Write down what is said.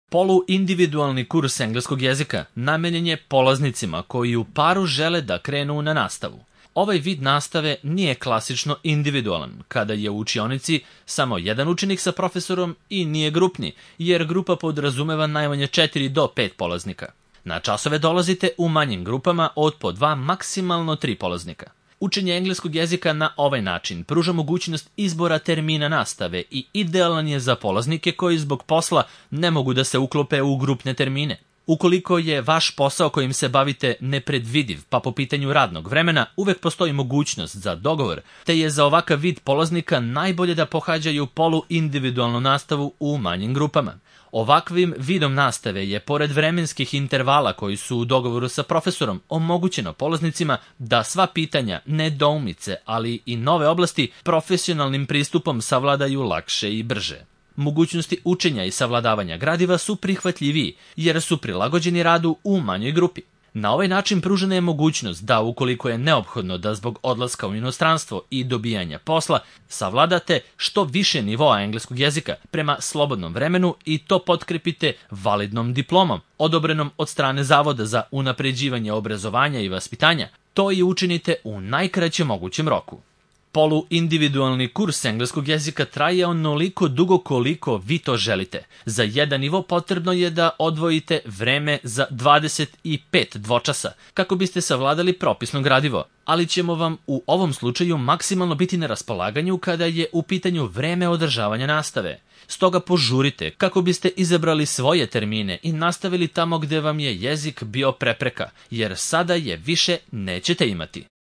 Poluindividualni kurs engleskog jezika namenjen je polaznicima koji u paru žele da krenu na nastavu. Ovaj vid nastave nije klasično individualan, kada je u učionici samo jedan učenik sa profesorom i nije grupni, jer grupa podrazumeva najmanje 4 do 5 polaznika. Na časove dolazite u manjim grupama od po 2, maksimalno 3 polaznika. Učenje engleskog jezika na ovaj način pruža mogućnost izbora termina nastave i idealan je za polaznike koji zbog posla ne mogu da se uklope u grupne termine. Ukoliko je vaš posao kojim se bavite nepredvidiv, pa po pitanju radnog vremena, uvek postoji mogućnost za dogovor, te je za ovakav vid polaznika najbolje da pohađaju poluindividualnu nastavu u manjim grupama. Ovakvim vidom nastave je, pored vremenskih intervala koji su u dogovoru sa profesorom, omogućeno polaznicima da sva pitanja, nedoumice, ali i nove oblasti profesionalnim pristupom savladaju lakše i brže. Mogućnosti učenja i savladavanja gradiva su prihvatljiviji, jer su prilagođeni radu u manjoj grupi. Na ovaj način pružena je mogućnost da, ukoliko je neophodno da zbog odlaska u inostranstvo i dobijanja posla, savladate što više nivoa engleskog jezika prema slobodnom vremenu i to potkrepite validnom diplomom, odobrenom od strane Zavoda za unapređivanje obrazovanja i vaspitanja. To i učinite u najkraćem mogućem roku. Poluindividualni kurs engleskog jezika traje onoliko dugo koliko vi to želite. Za jedan nivo potrebno je da odvojite vreme za 25 dvočasa kako biste savladali propisno gradivo, ali ćemo vam u ovom slučaju maksimalno biti na raspolaganju kada je u pitanju vreme održavanja nastave. Stoga požurite kako biste izabrali svoje termine i nastavili tamo gde vam je jezik bio prepreka, jer sada je više nećete imati.